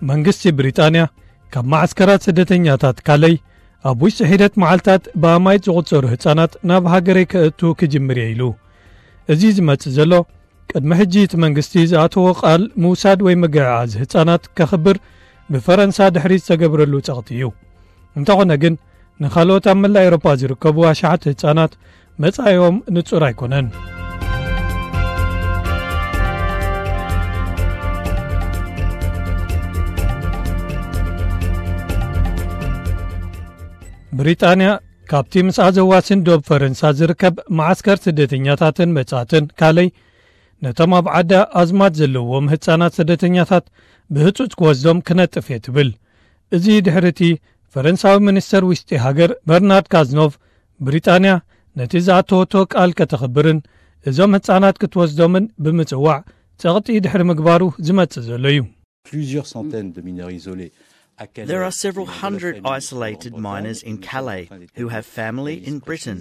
መንግስቲ ብሪጣንያ ካብ ማዓስከራት ስደተኛታት ካለይ ኣብ ውሽጢ ሒደት መዓልታት ብኣማይት ዝቑጸሩ ህጻናት ናብ ሃገረይ ከእቱ ክጅምር እየ ኢሉ። እዚ ዝመጽእ ዘሎ ቅድሚ ሕጂ እቲ መንግስቲ ዝኣተዎ ቃል ምውሳድ ወይ ምግዕዓዝ ህጻናት ከኽብር ብፈረንሳ ድሕሪ ዝተገብረሉ ጸቕጢ እዩ። እንተኾነ ግን ንኻልኦት ኣብ መላእ ኤውሮጳ ዝርከቡ ኣሽሓት ህጻናት መጻኢኦም ንጹር ኣይኮነን። ብሪጣንያ ካብቲ ምስኣ ዘዋስን ዶብ ፈረንሳ ዝርከብ መዓስከር ስደተኛታትን መጻእትን ካለይ ነቶም ኣብ ዓዳ ኣዝማድ ዘለዎም ህጻናት ስደተኛታት ብህጹጽ ክወስዶም ክነጥፍ እየ ትብል። እዚ ድሕሪ እቲ ፈረንሳዊ ሚኒስተር ውሽጢ ሃገር በርናርድ ካዝኖቭ ብሪጣንያ ነቲ ዝኣተወቶ ቃል ከተኽብርን እዞም ህጻናት ክትወስዶምን ብምጽዋዕ ጸቕጢ ድሕሪ ምግባሩ ዝመጽእ ዘሎ እዩ። Plusieurs centaines de mineurs isolés à Calais. There are several hundred isolated minors in Calais who have family in Britain.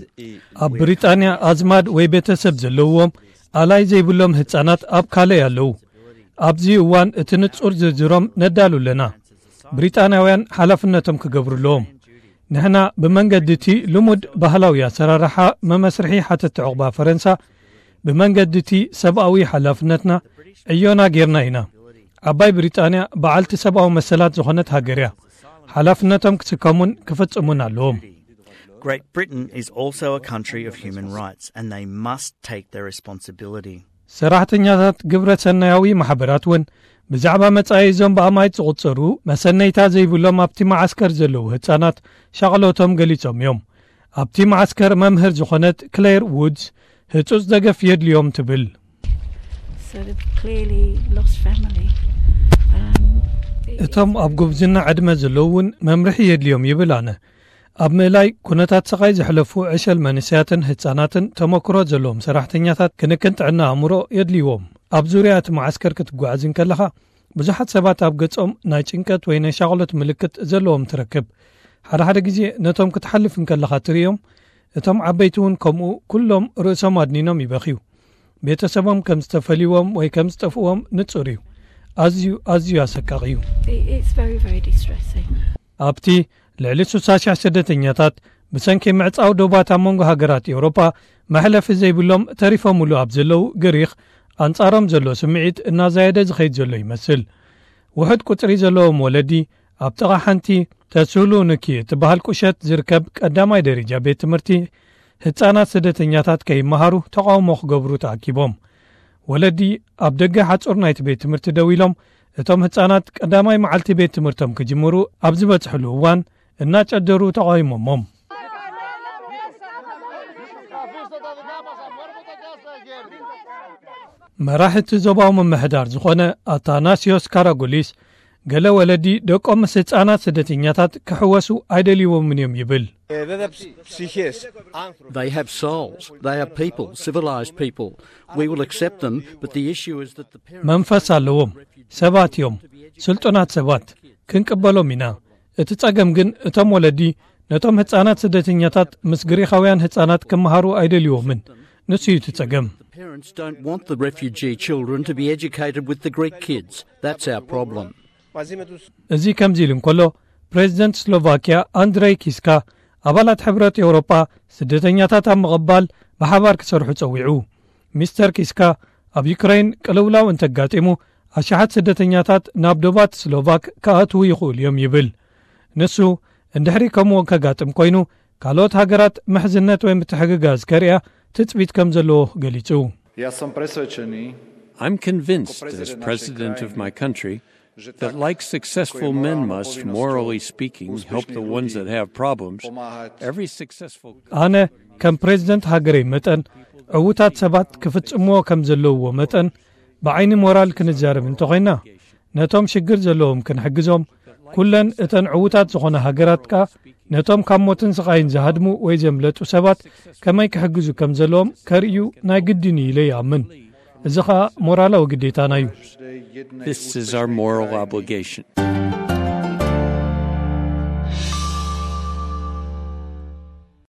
ኣብ ብሪጣንያ ኣዝማድ ወይ ቤተሰብ ዘለዎም ኣላይ ዘይብሎም ህጻናት ኣብ ካለይ ኣለዉ። ኣብዚ እዋን እቲ ንጹር ዝርዝሮም ነዳሉ ኣለና። ብሪጣንያውያን ሓላፍነቶም ክገብሩ ኣለዎም። ንሕና ብመንገዲ እቲ ልሙድ ባህላዊ ኣሰራርሓ መመስርሒ ሓተቲ ዕቑባ ፈረንሳ ብመንገዲ እቲ ሰብኣዊ ሓላፍነትና ዕዮና ጌርና ኢና። ዓባይ ብሪጣንያ በዓልቲ ሰብኣዊ መሰላት ዝኾነት ሃገር እያ። ሓላፍነቶም ክስከሙን ክፍጽሙን ኣለዎም። Great Britain is also a country of human rights and they must take their responsibility. ሰራሕተኛታት ግብረ ሰናያዊ ማሕበራት እውን ብዛዕባ መጻኢ እዞም ብኣማይት ዝቑጸሩ መሰነይታ ዘይብሎም ኣብቲ መዓስከር ዘለዉ ህጻናት ሻቕሎቶም ገሊጾም እዮም። ኣብቲ መዓስከር መምህር ዝኾነት ክሌር ውድስ ህጹጽ ደገፍ የድልዮም ትብል። So they've clearly lost family. Um, it- እቶም ኣብ ጉብዝና ዕድመ ዘለዉ እውን መምርሒ የድልዮም ይብል ኣነ። ኣብ ምእላይ ኩነታት ስቓይ ዘሕለፉ ዕሸል መንእሰያትን ህጻናትን ተመክሮ ዘለዎም ሰራሕተኛታት ክንክን ጥዕና ኣእምሮ የድልይዎም። ኣብ ዙርያ እቲ መዓስከር ክትጓዓዝ እንከለኻ ብዙሓት ሰባት ኣብ ገጾም ናይ ጭንቀት ወይ ናይ ሻቕሎት ምልክት ዘለዎም ትረክብ። ሓደ ሓደ ግዜ ነቶም ክትሓልፍ እንከለኻ ትርእዮም። እቶም ዓበይቲ እውን ከምኡ ኩሎም ርእሶም ኣድኒኖም ይበኽዩ። ቤተሰቦም ከም ዝተፈልይዎም ወይ ከም ዝጠፍእዎም ንጹር እዩ። ኣዝዩ ኣዝዩ ኣሰቃቒ እዩ። it- It's very, very distressing. ኣብቲ ልዕሊ ስሳ ሽሕ ስደተኛታት ብሰንኪ ምዕጻው ዶባት ኣብ መንጎ ሃገራት ኤውሮጳ መሕለፊ ዘይብሎም ተሪፎምሉ ኣብ ዘለዉ ግሪኽ ኣንጻሮም ዘሎ ስምዒት እናዛየደ ዝኸይድ ዘሎ ይመስል። ውሑድ ቁጽሪ ዘለዎም ወለዲ ኣብ ጥቓ ሓንቲ ተስሉኒኪ እትበሃል ቁሸት ዝርከብ ቀዳማይ ደረጃ ቤት ትምህርቲ ህጻናት ስደተኛታት ከይመሃሩ ተቓውሞ ክገብሩ ተኣኪቦም። ወለዲ ኣብ ደገ ሓጹር ናይቲ ቤት ትምህርቲ ደው ኢሎም እቶም ህጻናት ቀዳማይ መዓልቲ ቤት ትምህርቶም ክጅምሩ ኣብ ዝበጽሕሉ እዋን እናጨደሩ ተቓዊሞሞም። መራሒ እቲ ዞባዊ ምምሕዳር ዝኾነ ኣታናሲዮስ ካራጉሊስ ገለ ወለዲ ደቆም ምስ ህጻናት ስደተኛታት ክሕወሱ ኣይደልይዎምን እዮም ይብል። They have souls. They are people, civilized people. We will accept them, but the issue is that the parents. መንፈስ ኣለዎም፣ ሰባት እዮም፣ ስልጡናት ሰባት፣ ክንቅበሎም ኢና። እቲ ጸገም ግን እቶም ወለዲ ነቶም ህጻናት ስደተኛታት ምስ ግሪኻውያን ህጻናት ክመሃሩ ኣይደልይዎምን። ንሱ እዩ እቲ ጸገም። The parents don't want the refugee children to be educated with the Greek kids. That's our problem. እዚ ከምዚ ኢሉ እንከሎ ፕሬዚደንት ስሎቫኪያ ኣንድሬይ ኪስካ ኣባላት ሕብረት ኤውሮጳ ስደተኛታት ኣብ ምቕባል ብሓባር ክሰርሑ ጸዊዑ። ሚስተር ኪስካ ኣብ ዩክረይን ቅልውላው እንተጋጢሙ ኣሽሓት ስደተኛታት ናብ ዶባት ስሎቫክ ክኣትዉ ይኽእሉ እዮም ይብል። ንሱ እንድሕሪ ከምኡ ከጋጥም ኮይኑ ካልኦት ሃገራት ምሕዝነት ወይ ምትሕግጋዝ ከርእያ ትጽቢት ከም ዘለዎ ገሊጹ። Ja sam presvedčený. I'm convinced, as president of my country, that like successful men must, morally speaking, help the ones that have problems, every successful. ኣነ ከም ፕሬዚደንት ሃገረይ መጠን ዕዉታት ሰባት ክፍጽምዎ ከም ዘለውዎ መጠን ብዓይኒ ሞራል ክንዛረብ እንተኾይና ነቶም ሽግር ዘለዎም ክንሕግዞም ኩለን እተን ዕዉታት ዝኾነ ሃገራት ከኣ ነቶም ካብ ሞትን ስቓይን ዝሃድሙ ወይ ዘምለጡ ሰባት ከመይ ክሕግዙ ከም ዘለዎም ከርእዩ ናይ ግድን እዩ ኢለ ይኣምን። እዚ ኸኣ ሞራላዊ ግዴታና እዩ። This is our moral obligation.